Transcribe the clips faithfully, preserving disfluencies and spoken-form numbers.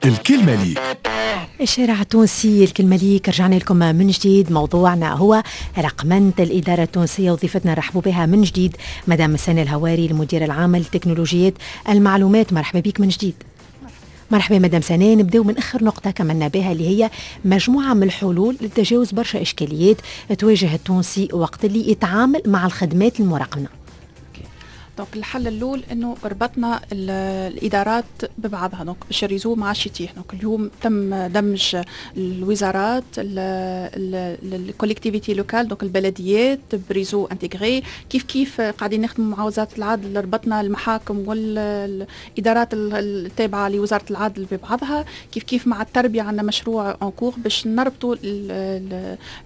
الكلمة ليك. الشارع التونسي، الكلمة ليك. رجعنا لكم من جديد. موضوعنا هو رقمنة الإدارة التونسية، وضيفتنا رحبوا بها من جديد مدام سنة الهواري، المدير العام لتكنولوجيات المعلومات. مرحبا بك من جديد. مرحبا مدام سناء. نبداو من اخر نقطة كملنا بها، اللي هي مجموعة من الحلول لتجاوز برشا اشكاليات تواجه التونسي وقت اللي يتعامل مع الخدمات المرقمنه. donc الحل الاول انه ربطنا الادارات ببعضها، donc باش ال réseau ما عادش يطيح. donc اليوم تم دمج الوزارات، ال collectivités locales، donc البلديات ب réseau intégré. كيف كيف قاعدين نخدموا مع وزارة العدل، ربطنا المحاكم والادارات التابعة لوزارة العدل ببعضها. كيف كيف مع التربيه، عندنا مشروع en cours باش نربطوا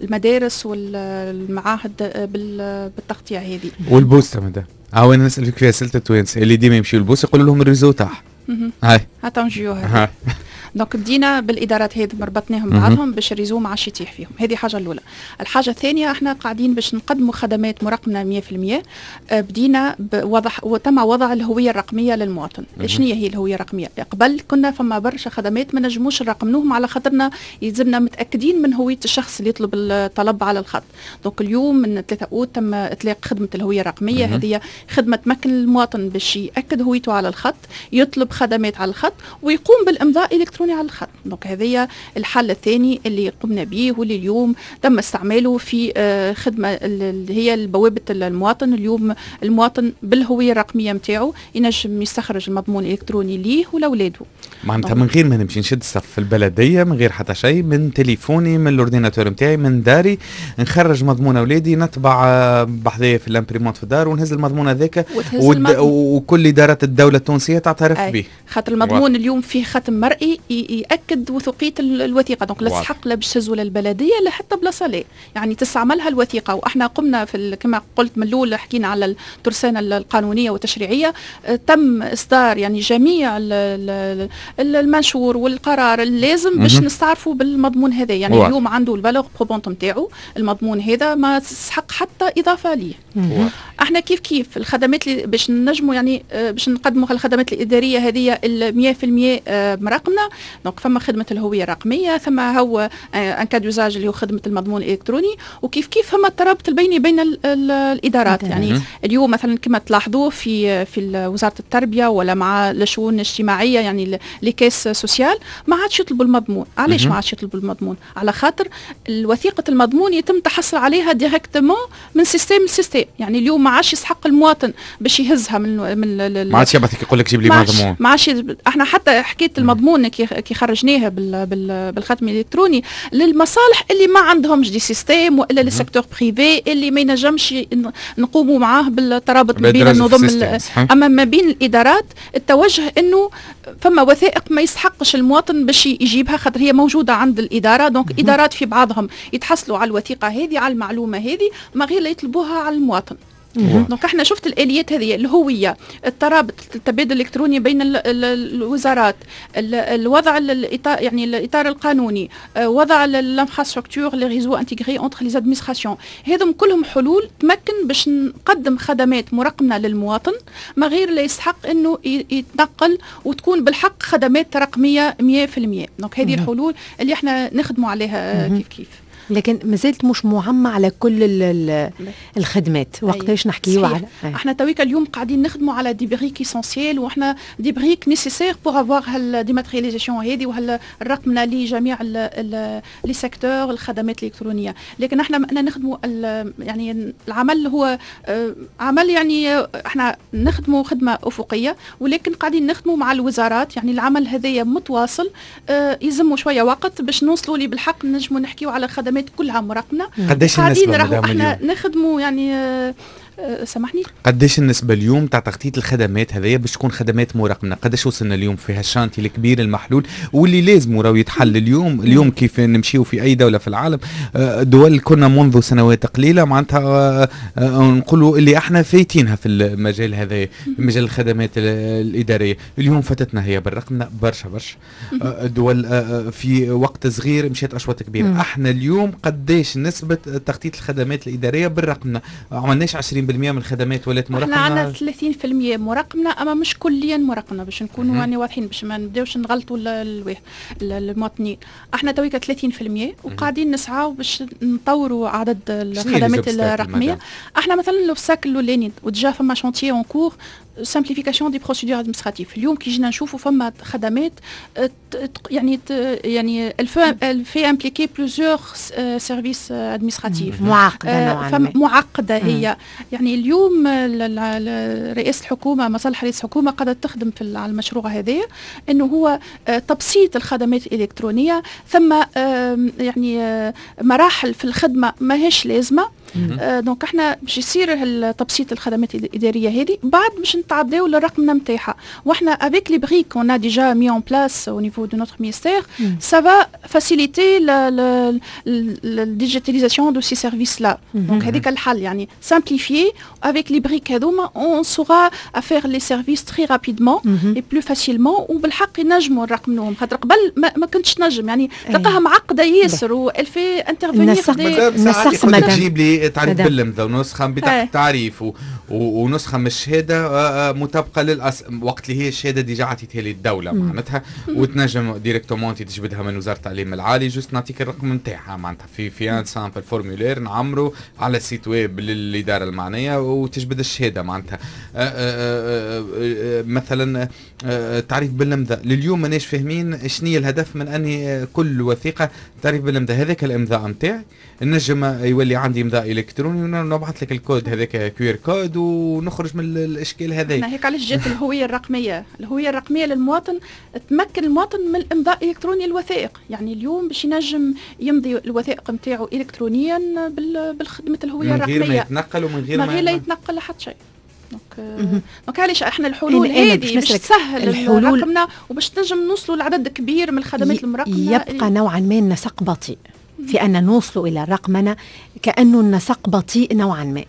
المدارس والمعاهد بالتغطيه هذه. والبوسته مدام، هاو انا نسالك في اسئلة التوانسة اللي ديما يمشيو البوسه، يقولوا لهم ال réseau طاح. هاي هاتو نجيو. donc بدينا بالادارات هذه، ربطناهم بعضهم باش ال réseau ما عادش يطيح فيهم. هذه حاجة الاولى. الحاجة الثانيه، احنا قاعدين باش نقدموا خدمات مرقمنه مية في المية. آه، بدينا بوضع وتم وضع الهوية الرقمية للمواطن. شنو هي الهوية الرقميه؟ قبل كنا فما برشا خدمات ما نجموش نرقمنوهم على خاطرنا يلزمنا متاكدين من هوية الشخص اللي يطلب الطلب على الخط. donc اليوم من ثلاثة اوت تم اطلاق خدمة الهوية الرقميه. هذه خدمة تمكن المواطن باش ياكد هويته على الخط، يطلب خدمات على الخط، ويقوم بالامضاء الالكتروني على الخط. donc هذه الحل الثاني اللي قمنا به واللي اليوم تم استعماله في آه، خدمة اللي هي بوابه المواطن. اليوم المواطن بالهوية الرقمية نتاعو ينجم يستخرج المضمون الالكتروني ليه ولاولاده. معناتها من غير ما نمشي نشد الصف في البلديه، من غير حتى شيء، من تليفوني، من l'ordinateur نتاعي، من داري، نخرج مضمون اولادي، نطبع آه، بحذايا في l'imprimante في الدار ونهز المضمون هذاك، وكل ادارات الدولة التونسية تعترف به. خاطر المضمون اليوم فيه ختم مرئي ياكد وثوقيه الوثيقه، donc لا تستحق لا باش تهزوا للبلديه لا حتى بلاصه، لا يعني تستعملها الوثيقه. واحنا قمنا في، كما قلت من الاول، حكينا على الترسانه القانونية والتشريعيه، آه، تم اصدار يعني جميع المنشور والقرار اللازم باش نستعرفوا بالمضمون هذا. يعني واضح. اليوم عنده ال valeur probante نتاعو المضمون هذا، ما تسحق حتى اضافه ليه. احنا كيف كيف الخدمات اللي باش نجموا يعني آه، باش نقدموا الخدمات الادارية هذه ال مية في المية آه، مرقمنه. donc فما خدمة الهوية الرقميه، ثم هو un cas d'usage اللي هو خدمة المضمون الالكتروني، وكيف كيف فما الترابط البيني بين ال ال الادارات. يعني اليوم مثلا كما تلاحظوا في في وزارة التربية ولا مع الشؤون الاجتماعيه، يعني les caisses sociales، ما عادش يطلبوا المضمون. علاش ما عادش يطلبوا المضمون؟ على خاطر الوثيقة المضمون يتم تحصل عليها directement من système ل système. يعني اليوم ما عادش يسحق المواطن باش يهزها من من ما عادش يبعث يقول لك جيب لي مضمون. ما عادش. احنا حتى حكاية المضمون كي كي خرجناها بال بال بالختم الالكتروني للمصالح اللي ما عندهمش des systèmes والا les secteurs privés اللي ما ينجمش نقوموا معاه بالترابط ما بين النظم. اما ما بين الادارات، التوجه انه فما وثائق ما يستحقش المواطن باش يجيبها خاطر هي موجودة عند الاداره. donc ادارات في بعضهم يتحصلوا على الوثيقة هذه، على المعلومة هذه، ما غير لا يطلبوها على المواطن. donc احنا شفت الاليات هذه، الهويه، الترابط، التبادل الالكتروني بين ال ال الوزارات، الوضع الاطار، يعني الاطار القانوني، آه، وضع l'infrastructure، les réseaux intégrés entre les administrations، هذم كلهم حلول تمكن باش نقدم خدمات مرقمنه للمواطن ما غير لا يستحق انه يتنقل، وتكون بالحق خدمات رقمية مية في المية. donc هذه الحلول اللي احنا نخدموا عليها كيف كيف. لكن مازالت مش معممة على كل الخدمات. وقتاش نحكيو على احنا تويكا اليوم قاعدين نخدموا على des briques essentielles، واحنا des briques nécessaires pour avoir هال dématérialisation هذه وهالرقمنه لجميع les secteurs، الخدمات الالكترونيه. لكن احنا نخدموا، يعني العمل هو آه، عمل، يعني احنا نخدموا خدمة افقيه، ولكن قاعدين نخدموا مع الوزارات. يعني العمل هذايا متواصل، آه، يلزموا شوية وقت باش نوصلوا لي بالحق نجموا نحكيو على خدمات كلها مرقمنه. قداش النسبة؟ راهو احنا نخدموا يعني آه، آه، سامحني. قداش النسبة اليوم تاع تغطية الخدمات هذيا باش تكون خدمات مرقمنة؟ قداش وصلنا اليوم في هال chantier الكبير المحلول واللي لازم راهو يتحل اليوم؟ اليوم كيف نمشيو في أي دولة في العالم، آه، دول كنا منذ سنوات قليلة معناتها نقولوا اللي احنا فايتينها في المجال هذا، في مجال الخدمات الإدارية، اليوم فاتتنا هي بالرقمنة برشا برشا دول في وقت صغير مشات أشواط كبيرة. احنا اليوم قداش نسبة تغطية الخدمات الإدارية بالرقمنة؟ عملناش عشرين في المية؟ ثلاثين بالمية من الخدمات ولات مرقمه. احنا عندنا ثلاثين في المية مرقمنه، اما مش كليا مرقمنه، باش نكونوا يعني واضحين، باش ما نبداوش نغلطوا المواطنين. احنا تويكا ثلاثين في المية وقاعدين نسعاو باش نطوروا عدد الخدمات الرقميه. احنا مثلا l'obstacle الاولاني، و déjà فما chantier en cours، simplification des procédures administratives. اليوم كي جينا نشوفوا فما خدمات آه، يعني يعني elle fait impliquer plusieurs services administratifs. معقدة نوعا ما. معقدة هي. يعني اليوم رئاسة الحكومه، مصالح رئاسة الحكومة قاعدة تخدم في على المشروع هذا، انه هو آه، تبسيط الخدمات الالكترونيه. ثم يعني آه، مراحل في الخدمة ماهيش لازمه. donc احنا باش يصير تبسيط الخدمات الادارية هذه، بعد باش نتعداو للرقمنه نتاعها. واحنا avec les briques qu'on a déjà mis en place au niveau de notre ministère، ça va faciliter la, la, la digitalisation de ces services-là. donc هذيك الحل، يعني simplifier avec les briques هذوما، on saura à faire les services très rapidement et plus facilement، وبالحق ينجموا نرقمنوهم، خاطر قبل ما, ما كنتش نجم، يعني تلقاها معقدة ياسر و elle fait intervenir des نسق. تجيب لي تعريف بالامضاء ونسخة بطاقة التعريف و... ونسخة من الشهادة آه، آه، مطابقه للاصل، وقت اللي هي الشهادة déjà عطيتها لي الدولة معناتها، وتنجم directement تجبدها من وزارة التعليم العالي، juste نعطيك الرقم نتاعها معناتها في في un simple formulaire نعمره على ال site web للادارة المعنية وتجبد الشهادة معناتها. آه، مثلا تعريف بالامضاء، لليوم ماناش فاهمين شنو الهدف من اني كل وثيقة تعريف بالامضاء. هذاك الامضاء نتاعي نجم يولي عندي امضاء الكتروني ونبعث لك الكود هذاك QR code ونخرج من الاشكال هذا. هيك علاش جات الهوية الرقميه. الهوية الرقمية للمواطن تمكن المواطن من الامضاء الالكتروني للوثائق، يعني اليوم باش ينجم يمضي الوثائق نتاعو الكترونيا بالخدمة الهوية الرقميه، من غير ما يتنقل ومن غير ما غير لا يتنقل لحد شيء. donc donc علاش احنا الحلول هذه باش تسهل الحلول الرقمنه وباش تنجم نوصلوا لعدد كبير من الخدمات المرقمنه. يبقى نوعا ما النسق بطيء في ان نوصلوا الى الرقمنه، كانه النسق بطيء نوعا ما.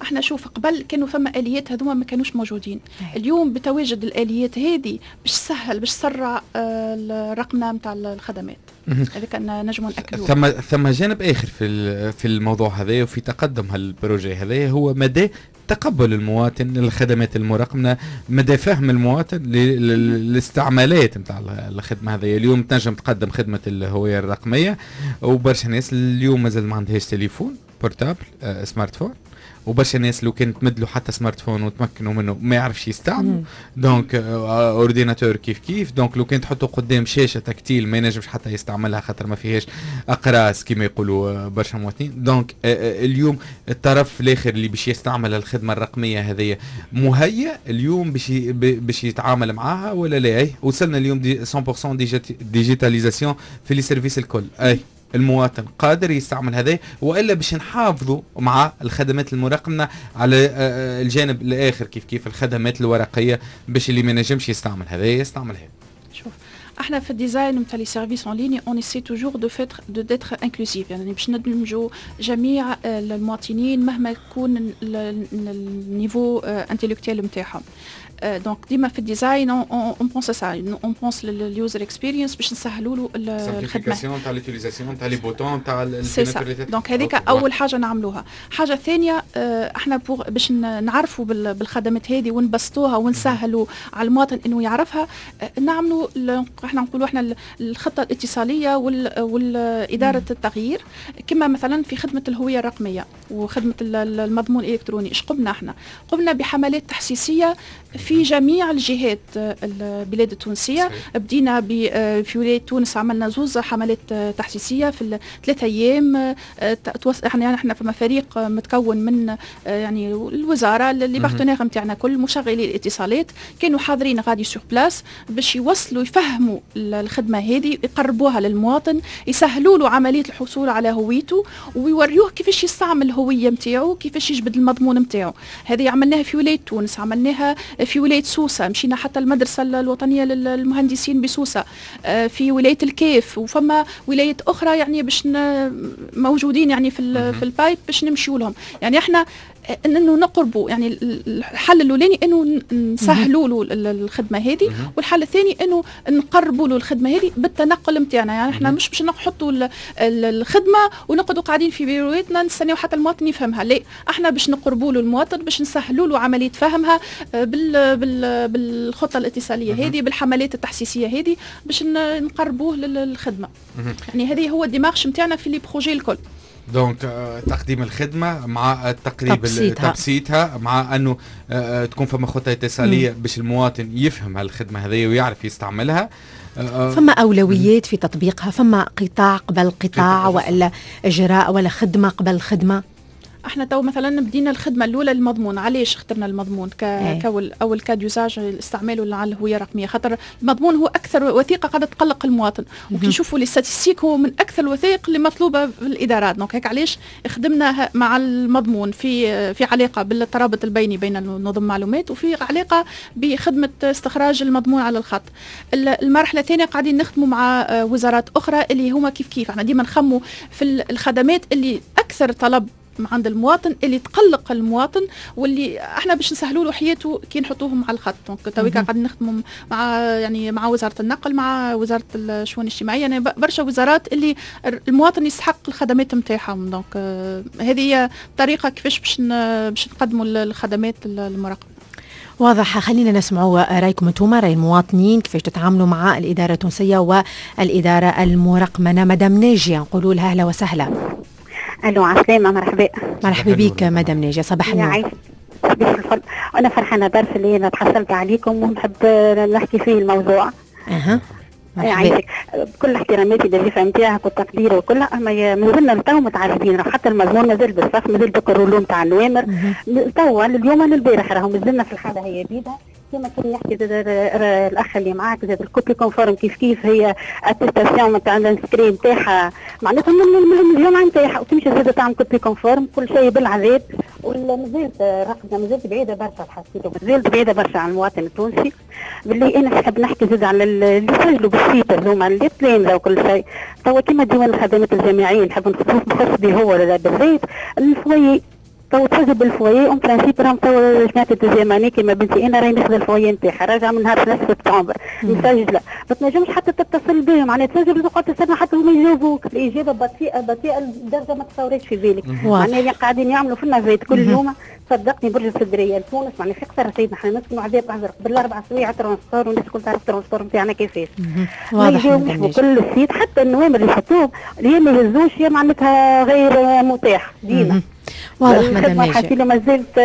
احنا شوف، قبل كانوا فما اليات هذوما ما كانوش موجودين. اليوم بتواجد الاليات هذه باش تسهل، باش تسرع آه، الرقمنه نتاع الخدمات، هذا كان نجموا ناكدوه. ثم ثم جانب اخر في في الموضوع هذا وفي تقدم هال projet هذا، هو مدى تقبل المواطن للخدمات المرقمنه، مدى فهم المواطن للاستعمالات نتاع الخدمة هذه. اليوم تنجم تقدم خدمة الهوية الرقميه، وبرشا ناس اليوم مازال ما عندهاش تليفون portable، آه، smartphone، وبرشا ناس لو كان تمد له حتى smartphone وتمكنوا منه ما يعرفش يستعمل، donc ordinateur كيف كيف، donc لو كان تحطه قدام شاشة tactile ما ينجمش حتى يستعملها خاطر ما فيهاش اقراص كما يقولوا آه، برشا مواطنين. donc آه، آه، اليوم الطرف الاخر اللي باش يستعمل الخدمة الرقمية هذه مهيأ اليوم باش باش يتعامل معاها ولا لا؟ اي وصلنا اليوم دي مية في المية digitalisation في les services الكل، اي المواطن قادر يستعمل هذا، والا باش نحافظوا مع الخدمات المرقمنه على آه، آه، الجانب الاخر كيف كيف الخدمات الورقيه، باش اللي ما نجمش يستعمل هذا يستعمل هذا؟ شوف، احنا في ال design نتاع les services en ligne، on essaie toujours de faire de d'être inclusif، يعني باش ندمجوا جميع المواطنين مهما يكون ال niveau intellectuel نتاعهم. donc ديما في ال design on pense ça، on pense لل user experience باش نسهلوا له الخدمه، تاع l'utilisation تاع les boutons تاع c'est ça. donc هذيك اول حاجة نعملوها. حاجة ثانيه، احنا pour باش نعرفوا بالخدمات هذه ونبسطوها ونسهلوا على المواطن انه يعرفها، نعملوا احنا نقولوا احنا الخطة الاتصاليه والادارة التغيير. كما مثلا في خدمة الهوية الرقمية وخدمه المضمون الالكتروني، ايش قمنا احنا؟ قمنا بحملات تحسيسيه في جميع الجهات البلاد التونسيه. بدينا في ولاية تونس، عملنا زوز حملات تحسيسيه في ثلاثة ايام. احنا احنا فما فريق متكون من يعني الوزاره، les partenaires نتاعنا، كل مشغلي الاتصالات كانوا حاضرين غادي sur place باش يوصلوا يفهموا الخدمة هذه، يقربوها للمواطن، يسهلوا له عملية الحصول على هويته ويوريوه كيفاش يستعمل الهوية نتاعو، كيفاش يجبد المضمون نتاعو. هذه عملناها في ولاية تونس، عملناها في ولاية سوسه، مشينا حتى المدرسة الوطنية للمهندسين بسوسه، آه، في ولاية الكاف، وفما ولايات اخرى يعني باش موجودين يعني في في ال pipe باش نمشيو لهم. يعني احنا انه نقربوا، يعني الحل الاولاني انه نسهلوا له الخدمة هذه، والحل الثاني انه نقربوا له الخدمة هذه بالتنقل نتاعنا. يعني احنا مش باش نحطوا الخدمة ونقعدوا قاعدين في بيرواتنا نستناو حتى المواطن يفهمها، لا، احنا باش نقربوا له المواطن، باش نسهلوا له عملية فهمها بال بال بالخطة الاتصاليه هذه، بالحملات التحسيسيه هذه، باش نقربوه للخدمة. يعني هذه هو ال démarche نتاعنا في les projets الكل. donc تقديم الخدمة مع التقريب، تبسيطها. تبسيطها مع انه آه، تكون فما خطه اتصاليه باش المواطن يفهم هالخدمه هذه ويعرف يستعملها. آه، فما اولويات في تطبيقها؟ فما قطاع قبل قطاع والا اجراء ولا خدمة قبل خدمة؟ احنا تو مثلا بدينا الخدمة الاولى المضمون. علاش اخترنا المضمون ك إيه. كاول اول cas d'usage استعماله على الهوية الرقميه؟ خاطر المضمون هو اكثر وثيقة قاعدة تقلق المواطن، وكي نشوفوا les statistiques هو من اكثر الوثائق اللي مطلوبه في الادارات. donc هيك علاش خدمنا مع المضمون في في علاقة بالترابط البيني بين نظم المعلومات وفي علاقة بخدمة استخراج المضمون على الخط. المرحلة الثانية قاعدين نخدموا مع وزارات اخرى اللي هما كيف كيف. احنا ديما نخموا في الخدمات اللي اكثر طلب عند المواطن، اللي تقلق المواطن، واللي احنا باش نسهلوا له حياته كي نحطوهم على الخط. donc تويكا قاعدين نخدموا مع يعني مع وزارة النقل، مع وزارة الشؤون الاجتماعيه، يعني برشا وزارات اللي المواطن يستحق الخدمات نتاعهم. donc آه، هذه هي الطريقة كيفاش باش باش نقدموا الخدمات المرقمنه. واضح. خلينا نسمعوا رايكم انتم، راي المواطنين، كيفاش تتعاملوا مع الادارة التونسية والادارة المرقمنه. مدام ناجيه نقولوا لها اهلا وسهلا. الو، عسلامة، مرحبا. مرحبا بك مدام ناجية، صباح النور. صباح الفل. انا فرحانة برشا اللي انا تحصلت عليكم ونحب نحكي فيه الموضوع. اها. يعيشك. بكل احتراماتي للضيفة نتاعك والتقدير وكل، اما مازلنا لتو متعذبين، حتى المضمون مازال بالصف، مازال بك ال rouleau نتاع النوامر توا اليوم انا البارح راهو مازلنا في الحالة هي بيدها. كما كان يحكي زاد الاخ اللي معاك زاد ال copie conforme كيف كيف هي attestation نتاع l'inscrit نتاعها معناتها من الجامعة نتاعها وتمشي زاد تعمل copie conforme، كل شيء بالعذاب. ومازالت رقمنا مازالت بعيدة برشا، الحسيت مازالت بعيدة برشا عن المواطن التونسي. باللي انا نحب نحكي زاد على اللي سجلوا بال site هذوما اللي تلامذه وكل شيء. توا كيما ديوان الخدمات الجامعية نحب نخص به هو بالذات ال foyer، تو تسجل بال foyer en principe راهم تو جماعة ال deuxième année كيما بنتي انا راهي ناخذ ال foyer نتاعها راجعه من نهار ثلاثة سبتمبر مسجله، ما تنجمش حتى تتصل بهم، معناها تسجل وتقعد تستنى حتى هما يجاوبوك. الاجابة بطيئه بطيئه لدرجة ما تصوريش في بالك. معناها قاعدين يعملوا في ال navette كل يوم، صدقني برج السدريه لتونس معناها في قصر سيدنا احنا نسكنوا عذاب ازرق بالاربع سوايع transport، والناس الكل تعرف transport نتاعنا كيفاش. واضح. كل ال site حتى النوامر اللي يحطوهم يا ما يهزوش يا معناتها غير متاح ديما. واضح مدام ناجية. ما زالت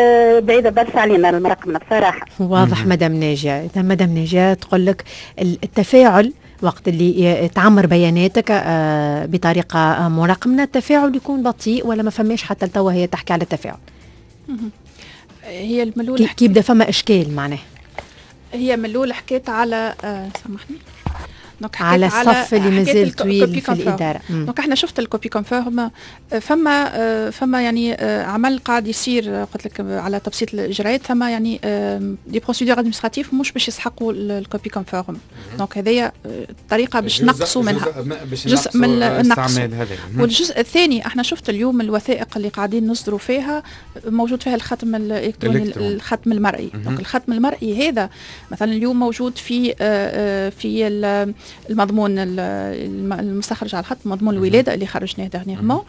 بعيدة برشا علينا المرقمنة بصراحة. واضح مدام ناجية. إذا مدام ناجية تقول لك التفاعل وقت اللي تعمر بياناتك آه، بطريقة مرقمنة التفاعل يكون بطيء ولا ما فماش حتى لتوا. هي تحكي على التفاعل. هي الملول كي يبدا فما اشكال معناه. هي من الاول حكيت على آه سامحني. donc على الصف اللي مازال طويل في الاداره. donc احنا شفت ال copie conforme، فما فما يعني آه، عمل قاعد يصير، قلت لك على تبسيط الاجراءات. ثم يعني des procédures administratives مش باش يسحقوا ال copie conforme، donc هذيا طريقه باش نقصوا منها. جزء من النقص. والجزء الثاني احنا شفت اليوم الوثائق اللي قاعدين نصدروا فيها موجود فيها الختم الالكتروني، الختم المرئي. donc الختم المرئي هذا مثلا اليوم موجود في آه، آه، في المضمون المستخرج على الخط، مضمون الولادة اللي خرجناه dernièrement،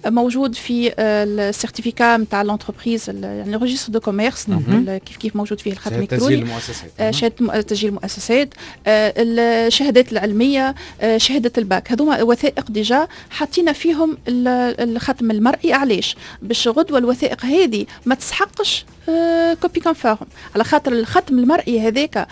موجود في ال certificat نتاع l'entreprise، يعني registre de commerce، كيف كيف موجود فيه الختم الالكتروني. تسجيل المؤسسات. شهادة تسجيل المؤسسات، الشهادات العلميه، شهادة الباك، هذوما وثائق déjà حطينا فيهم الختم المرئي. علاش؟ باش غدوه الوثائق هذه ما تسحقش copie conforme، على خاطر الختم المرئي هذاك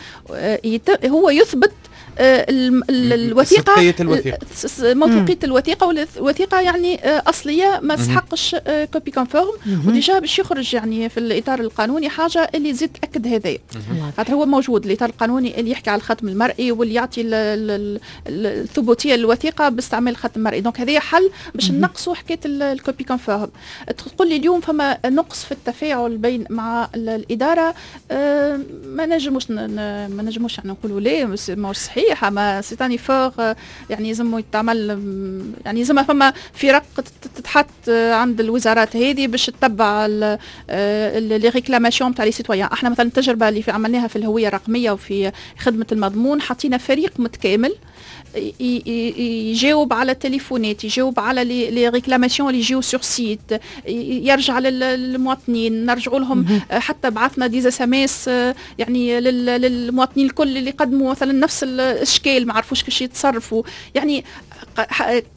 هو يثبت آه، الوثيقه، الوثيقه، موثوقيه الوثيقه، والوثيقه يعني آه، اصلية ما تسحقش copie conforme. و déjà باش يخرج يعني في الاطار القانوني حاجة اللي تزيد تاكد هذايا، خاطر هو موجود الاطار القانوني اللي يحكي على الختم المرئي واللي يعطي الثبوتيه للوثيقه باستعمال الختم المرئي. donc هذا حل باش نقصوا حكاية ال copie conforme. تقول لي اليوم فما نقص في التفاعل بين مع الاداره، آه، ما نجموش ما نجموش يعني نقولوا لا ماهوش صحيح. صحيح، اما c'est un effort يعني لازم يتعمل، يعني لازم فما فرق تتحط عند الوزارات هذه باش تتبع les réclamations تاع les citoyens. احنا مثلا التجربة اللي في عملناها في الهوية الرقمية وفي خدمة المضمون، حطينا فريق متكامل يجاوب على التليفونات، يجاوب على les réclamations اللي يجيو sur site، يرجع للمواطنين، نرجعوا لهم، حتى بعثنا des SMS يعني للمواطنين الكل اللي قدموا مثلا نفس الاشكال، ما عرفوش كيفاش يتصرفوا. يعني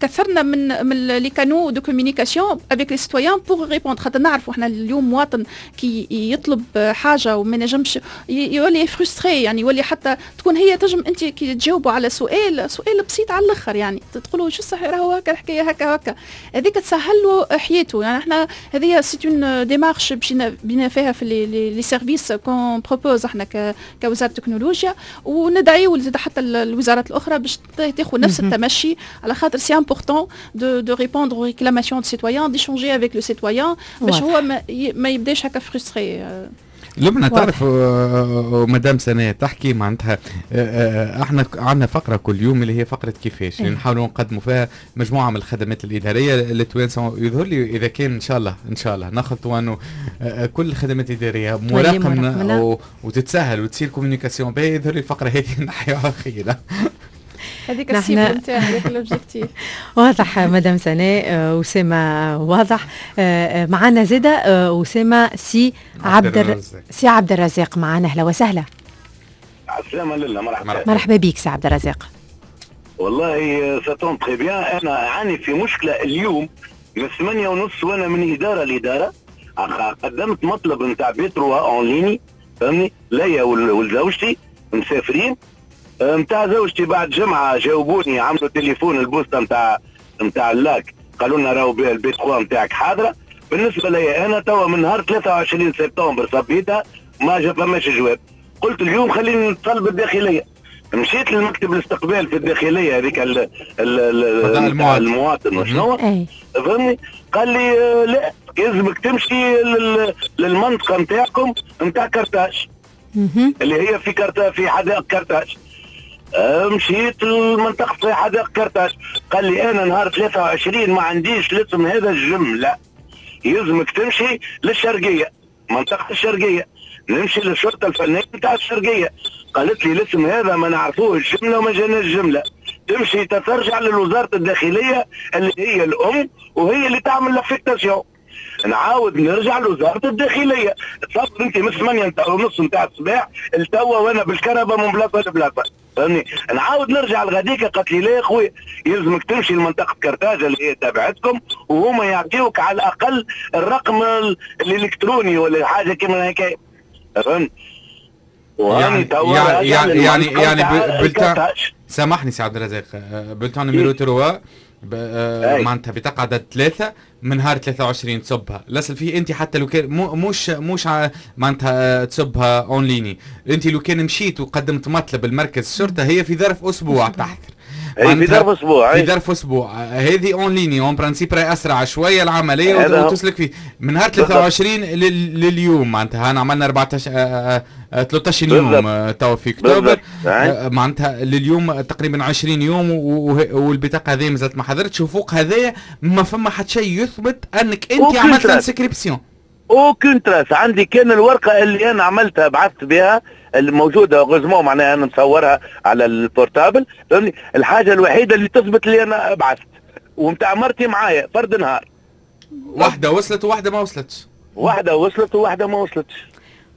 كثرنا من من les canaux de communication avec les citoyens pour répondre، خاطر نعرفوا احنا اليوم مواطن كي يطلب حاجة وما نجمش يولي frustré، يعني يولي حتى تكون هي تجم انت كي تجاوبوا على سؤال، سؤال بسيط على الاخر، يعني تقولوا شو صح راهو هكا الحكاية هكا هكا، هذيك تسهل له حياته. يعني احنا هذه c'est une démarche مشينا بينا فيها في les services qu'on propose احنا كوزارة التكنولوجيا، وندعيو زاد حتى الوزارات الاخرى باش تاخذ نفس التمشي، على خاطر c'est important de de répondre aux réclamations de citoyens، d'échanger avec le citoyen، باش هو ما, ما يبداش هكا frustré. لبنى تعرف، آه، مدام سناء تحكي معناتها آه، آه، احنا عندنا فقره كل يوم اللي هي فقره كيفاش، اللي نحاولوا نقدموا فيها مجموعة من الخدمات الادارية للتوانسه. يظهر لي اذا كان ان شاء الله ان شاء الله نخلطوا انه كل الخدمات الادارية مراقبة وتتسهل وتصير communication باهي، يظهر لي الفقرة هذه نحيوها خير. هذيك ال cible نتاعنا، هذاك l'objectif. واضح مدام سناء، اسامه واضح. آه، آه، معنا زاده آه، اسامة سي عبد الرزاق، سي عبد الرزاق معنا، اهلا وسهلا. السلامة لله، مرحبا. مرحبا بك سي عبد الرزاق. والله ça tombe très bien، انا عاني في مشكلة اليوم من ثمانية ونص وانا من ادارة لاداره. قدمت مطلب نتاع B trois en ligne، فهمني، ليا ولزوجتي مسافرين. نتاع زوجتي بعد جمعه جاوبوني، عملوا تليفون البوسطه نتاع نتاع اللاك، قالوا لنا راهو ال B ثلاثة نتاعك حاضره. بالنسبة لي انا توا من نهار ثلاثة وعشرين سبتمبر صبيتها، ما جا فماش جواب. قلت اليوم خليني نتصل بالداخليه. مشيت للمكتب الاستقبال في الداخلية هذيك المواطن وشنو، فهمني، قال لي آه، لا، لازمك تمشي للمنطقة نتاعكم نتاع كرتاج اللي هي في كرتا في حدائق كرتاج. آه، مشيت للمنطقة في حدائق كرتاج، قال لي انا نهار ثلاثة وعشرين ما عنديش الاسم هذا الجمله، يلزمك تمشي للشرقيه، منطقة الشرقيه. نمشي للشرطة الفنية نتاع الشرقيه، قالت لي الاسم هذا ما نعرفوه الجملة وما جانا الجمله، تمشي ترجع لوزارة الداخلية اللي هي الام وهي اللي تعمل l'affectation. نعاود نرجع لوزارة الداخليه. تصور انت من ثمانية ونص نتاع الصباح التوا وانا بالكرهبه من بلاصة لبلاصه، فهمني. نعاود نرجع لغاديك، قالت لي لا يا خويا، يلزمك تمشي لمنطقه كرتاج اللي هي تابعتكم وهما يعطيوك على الاقل الرقم الالكتروني ولا حاجة كيما هكا، فهمت؟ يعني يعني يعني يعني bulletin، سامحني سي عبد الرزاق، bulletin numéro ثلاثة، آه، معناتها بطاقة عدد ثلاثة من نهار ثلاثة وعشرين تصبها، الاصل فيه انت حتى لو كان مش مش معناتها تصبها en ligne، انت لو كان مشيت وقدمت مطلب المركز الشرطة هي في ظرف اسبوع تحضر. في ظرف اسبوع. في ظرف اسبوع. هذه en ligne en principe راهي اسرع شوية العملية وتسلك فيه. من نهار ثلاثة وعشرين لليوم معناتها انا عملنا أربعطاش ثلاثطاش يوم تو في اكتوبر، معناتها لليوم تقريبا عشرين يوم والبطاقه هذه مازالت ما حضرتش، وفوق هذايا ما فما حتى شيء يثبت انك انت عملت inscription. aucune trace عندي، كان الورقة اللي انا عملتها بعثت بها الموجوده، heureusement معناها انا مصورها على ال portable، فهمني، الحاجة الوحيدة اللي تثبت اللي انا بعثت، ومتاع مرتي معايا فرد نهار. واحدة وصلت وواحدة ما وصلتش. واحدة وصلت وواحدة ما وصلتش.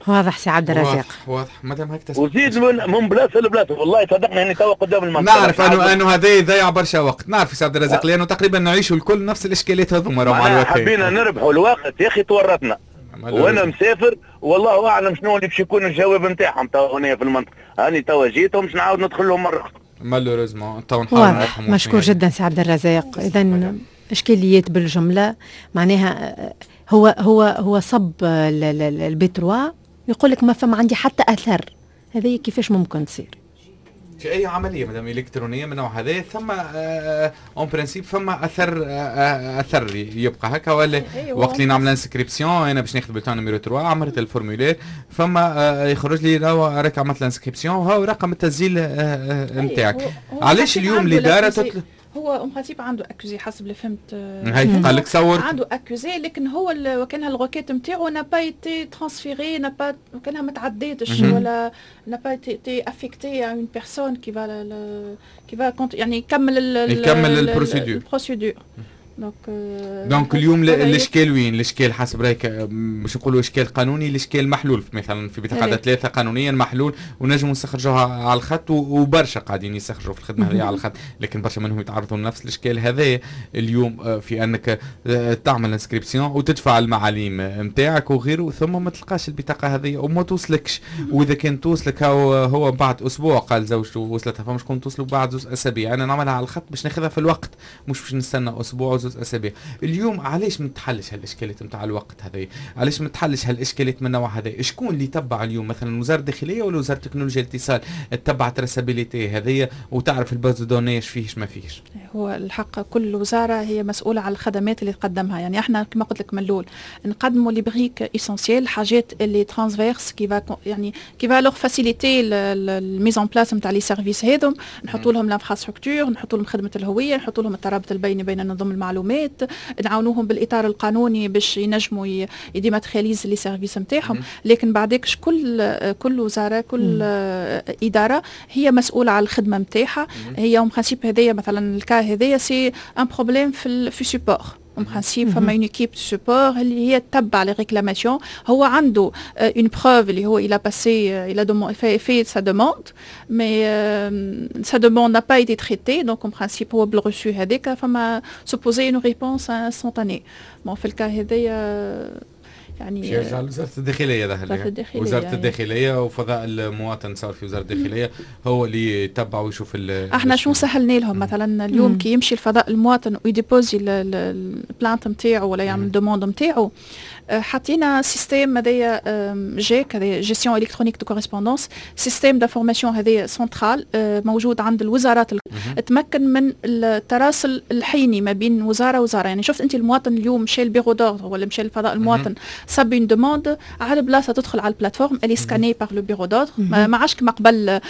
واضح سي عبد الرزاق. واضح واضح مادام هيك. وزيد من من بلاصة لبلاصه، والله صدقني اني توا قدام المنطقه. نعرف انه انه هذا يضيع برشا وقت، نعرف سي عبد الرزاق، لانه تقريبا نعيشوا الكل نفس الاشكاليات هذوما. مع الوقت حبينا نربحوا الوقت يا اخي تورطنا، وانا مسافر والله اعلم شنو اللي باش يكون الجواب نتاعهم تو هنا في المنطقه. هاني توا جيتهم باش نعاود ندخل لهم مرة اخرى. malheureusement تو نحاول. مشكور جدا سي عبد الرزاق. اذا اشكاليات بالجمله، معناها هو هو هو صب ال B trois يقول لك ما فما عندي حتى اثر، هذه كيفاش ممكن تصير؟ في اي عملية مدام الكترونية من نوع هذا ثم en principe فما اثر اثر يبقى هكا ولا؟ أيوة. وقت اللي نعمل inscription انا باش ناخذ bulletin numéro ثلاثة، عملت ال formulaire، فما يخرج لي راك عملت ال inscription وهو رقم التسجيل نتاعك. علاش اليوم الادارة تطلب؟ هو en principe عنده accusé حسب اللي فهمت. هاي قال لك صور. عنده accusé، لكن هو وكانها ال requête نتاعو n'a pas été transférée، n'a pas وكانها ما تعديتش ولا n'a pas été affectée à une personne qui va qui va يعني يكمل. يكمل ال procédure. ال procédure. donc donc اليوم الاشكال وين؟ الاشكال حسب رايك، مش نقولوا اشكال قانوني، الاشكال محلول مثلا في بطاقة ثلاثة قانونيا محلول ونجموا نستخرجوها على الخط، وبرشا قاعدين يستخرجوا في الخدمة هذه على الخط، لكن برشا منهم يتعرضوا لنفس الاشكال هذا اليوم آه، في انك آه، تعمل inscription وتدفع المعاليم نتاعك وغيره، ثم ما تلقاش البطاقة هذه وما توصلكش، واذا كان توصلك هو, هو بعد اسبوع، قال زوجته وصلتها، فما شكون توصلوا بعد زوج اسابيع. انا نعملها على الخط باش ناخذها في الوقت، مش باش نستنى اسبوع وزوج اسابيع. اليوم علاش ما تحلش هالاشكالات نتاع الوقت هذا؟ علاش ما تحلش هالاشكالات من النوع هذا؟ شكون اللي تبع اليوم مثلا، وزارة الداخلية ولا وزارة تكنولوجيا الاتصال تتبع traçabilité هذه وتعرف ال base de données فيش ما فيش؟ هو الحق كل وزارة هي مسؤولة على الخدمات اللي تقدمها. يعني احنا كما قلت لك من الاول نقدموا les briques essentielles، حاجات اللي transverses qui va يعني qui va leur faciliter ال mise en place نتاع les services هذم. نحطوا لهم l'infrastructure، نحطوا لهم خدمة الهويه، نحطوا لهم الترابط البيني بين نظم المعلومات، نعاونوهم بالاطار القانوني باش ينجموا ي dématérialisent les services نتاعهم. لكن بعدك كل كل وزاره، كل ادارة هي مسؤولة على الخدمة نتاعها هي. en principe هذايا مثلا ال cas هذايا c'est un problème في في support. en principe فما une équipe support اللي هي تتبع les réclamations. هو عنده une preuve اللي هو il a passé il a fait, fait sa demande، mais sa demande n'a pas été traitée. donc en principe هو بال reçu هذاك فما supposé une réponse instantanée. bon، في ال cas هذايا يعني يرجع لوزارة الداخلية ظهر. وزارة الداخليه، وزارة الداخلية وفضاء المواطن صار في وزارة الداخليه، هو اللي يتبع ويشوف. احنا شو سهلنا لهم؟ مثلا اليوم كي يمشي الفضاء المواطن وي déposer ال plainte نتاعو ولا يعمل demande نتاعو، حطينا système هذايا GEC، هذايا gestion électronique de correspondance، système d'information هذايا سنترال موجود عند الوزارات، تمكن من التراسل الحيني ما بين وزارة ووزاره. يعني شفت انت المواطن اليوم مشى ال bureau d'ordre ولا مشى للفضاء المواطن، صب une demande على بلاصه، تدخل على ال plateforme اللي scannée par le bureau d'ordre. ما عادش كما قبل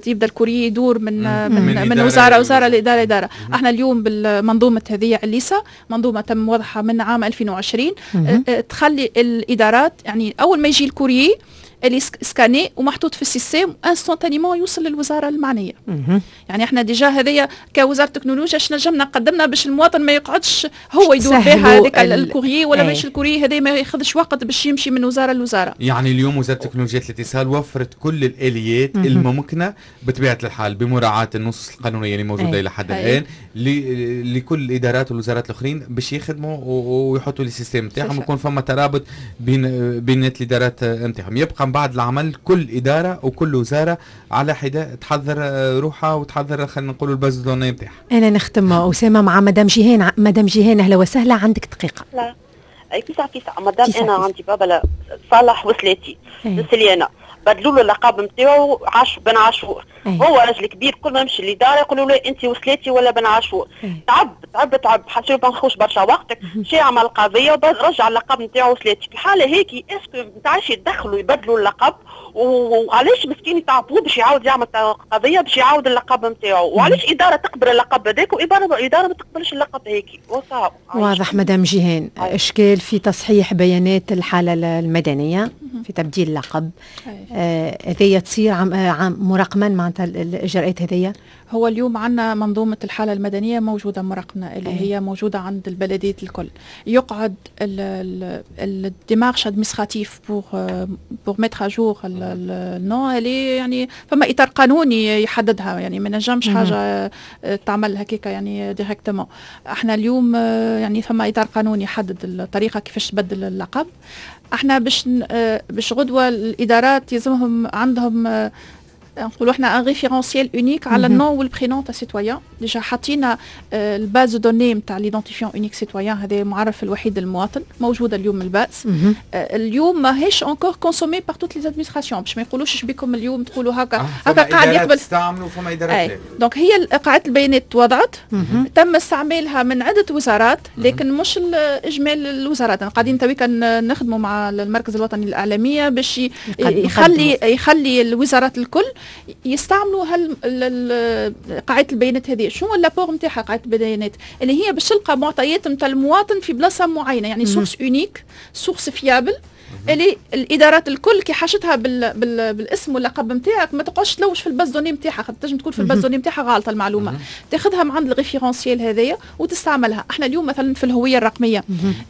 يبدا ال courrier يدور من من, من, من وزارة وزارة لادارة اداره. احنا اليوم بالمنظومه هذه عليسه، منظومة تم وضعها من عام ألفين وعشرين، تخلي الادارات يعني اول ما يجي ال courrier اللي scanné ومحطوط في ال système، instantanément يوصل للوزارة المعنيه. يعني احنا déjà هذيا كوزارة تكنولوجيا اش نجمنا قدمنا باش المواطن ما يقعدش هو يدور بها هذيك ال courrier، ولا باش ال courrier هذا ما ياخذش وقت باش يمشي من وزارة لوزاره. يعني اليوم وزارة تكنولوجيا الاتصال وفرت كل الاليات الممكنة بطبيعة الحال بمراعاه النصوص القانونية اللي موجودة الى حد الان لكل الادارات والوزارات الاخرين باش يخدموا ويحطوا les systèmes نتاعهم، ويكون فما ترابط بين بين الادارات نتاعهم. يبقى من بعد العمل كل ادارة وكل وزارة على حده تحضر روحها وتحضر خلينا نقولوا ال base de données نتاعها. انا نختم اسامة مع مدام جيهان. مدام جيهان، اهلا وسهلا، عندك دقيقه. لا، اي فيسع فيسع مدام. انا عندي بابا صالح وسلاتي سليانه، بدلوا له اللقب نتاعو عاش بن عاشور. أيه. هو راجل كبير، كل ما يمشي للادارة يقولوا له انت وسلاتي ولا بن عاشور. أيه. تعب تعب تعب، حسيت ما نخوش برشا وقتك، مشى عمل قضية ورجع اللقب نتاعو وسلاتي. في الحالة هيك est-ce que نتاعش يدخلوا يبدلوا اللقب؟ وعلاش مسكين يتعبوه باش يعاود يعمل قضية باش يعاود اللقب نتاعو؟ وعلاش ادارة تقبل اللقب هذاك واداره ادارة ما تقبلش اللقب هيك؟ واضح مدام جيهان، اشكال في تصحيح بيانات الحالة المدنيه، في تبديل اللقب، هذيا آه تصير عم عم مرقما معناتها الاجراءات هذيا؟ هو اليوم عندنا منظومة الحالة المدنية موجودة مرقمة، اللي هي موجودة عند البلديات الكل. يقعد ال démarche administrative pour pour mettre à jour ال nom اللي يعني فما اطار قانوني يحددها، يعني ما نجمش حاجة تعمل هكاك يعني directement. احنا اليوم يعني فما اطار قانوني يحدد الطريقة كيفاش تبدل اللقب. احنا باش باش غدوه الادارات يلزمهم عندهم نقولوا احنا un référentiel unique على ال nom وال prénom تاع citoyen. déjà حطينا ال base de données نتاع l'identifiant unique citoyen، هذا المعرف الوحيد للمواطن، موجودة اليوم ال base. اليوم ماهيش encore consommée par toutes les administrations، باش ما يقولوش بكم اليوم تقولوا هكا آه هكا قاعد يقبل. تستعملوا فما ادارات. donc هي قاعدة البيانات توضعت، تم استعمالها من عده وزارات، لكن مش اجمال الوزارات. قاعدين تويكا نخدموا مع المركز الوطني للاعلاميه باش يخلي يخلي الوزارات الكل يستعملوا هال قاعدة البيانات هذه. شنو l'apport نتاعها قاعدة البيانات؟ اللي هي باش تلقى معطيات نتاع المواطن في بلاصة معينه، يعني source unique، source fiable، اللي الادارات الكل كي حاجتها بال بال بالاسم واللقب نتاعك ما تقعدش تلوج في ال base de données نتاعها، خاطر تنجم تكون في ال base de données نتاعها غالطه المعلومه، تاخذها من عند ال référentiel هذايا وتستعملها. احنا اليوم مثلا في الهوية الرقمية،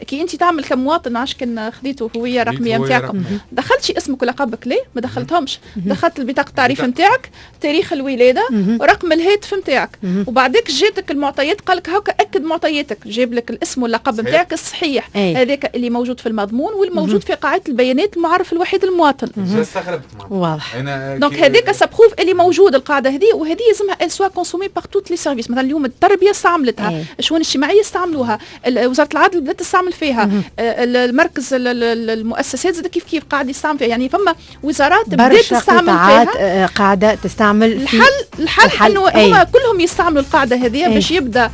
كي انت تعمل كمواطن، عاش كان خذيتوا هوية رقمية نتاعكم، دخلتش اسمك ولقبك؟ ليه ما دخلتهمش؟ دخلت البطاقة التعريف نتاعك، تاريخ الولادة ورقم الهاتف نتاعك، وبعدك جاتك المعطيات، قال لك هكا اكد معطياتك، جاب لك الاسم واللقب نتاعك الصحيح، هذاك اللي موجود في المضمون والموجود في قاعدة البيانات المعرف الوحيد المواطن. استغربت. واضح. donc هذاك ça prouve اللي موجود القاعدة هذه، وهذه لازمها elle soit consommée par toutes les services. مثلا اليوم التربية استعملتها، الشؤون الاجتماعية استعملوها، وزارة العدل بدات تستعمل فيها، المركز المؤسسات زاد كيف كيف قاعد يستعمل فيها. يعني فما وزارات بدات تستعمل فيها. قاعدة تستعمل. الحل الحل, الحل انه هما كلهم يستعملوا القاعدة هذه باش يبدا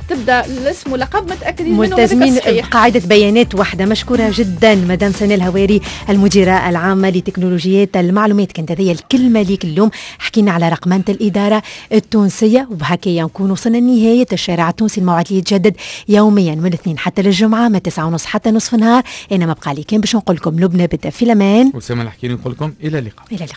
تبدا الاسم ولقب متاكدين منه، ملتزمين بقاعدة بيانات واحده. مشكورة جدا مدام سناء الهواري، المديرة العامة لتكنولوجيات المعلومات. كانت هذه الكلمة ليك اليوم، حكينا على رقمنه الادارة التونسيه، وبهكا نكون وصلنا لنهاية الشارع التونسي، الموعد اللي يتجدد يوميا من الاثنين حتى للجمعة من تسعة ونص حتى نصف النهار. انا ما بقى لي كان باش نقول لكم لبنى بدا في الامان. وسام الحكي نقول لكم الى اللقاء. الى اللقاء.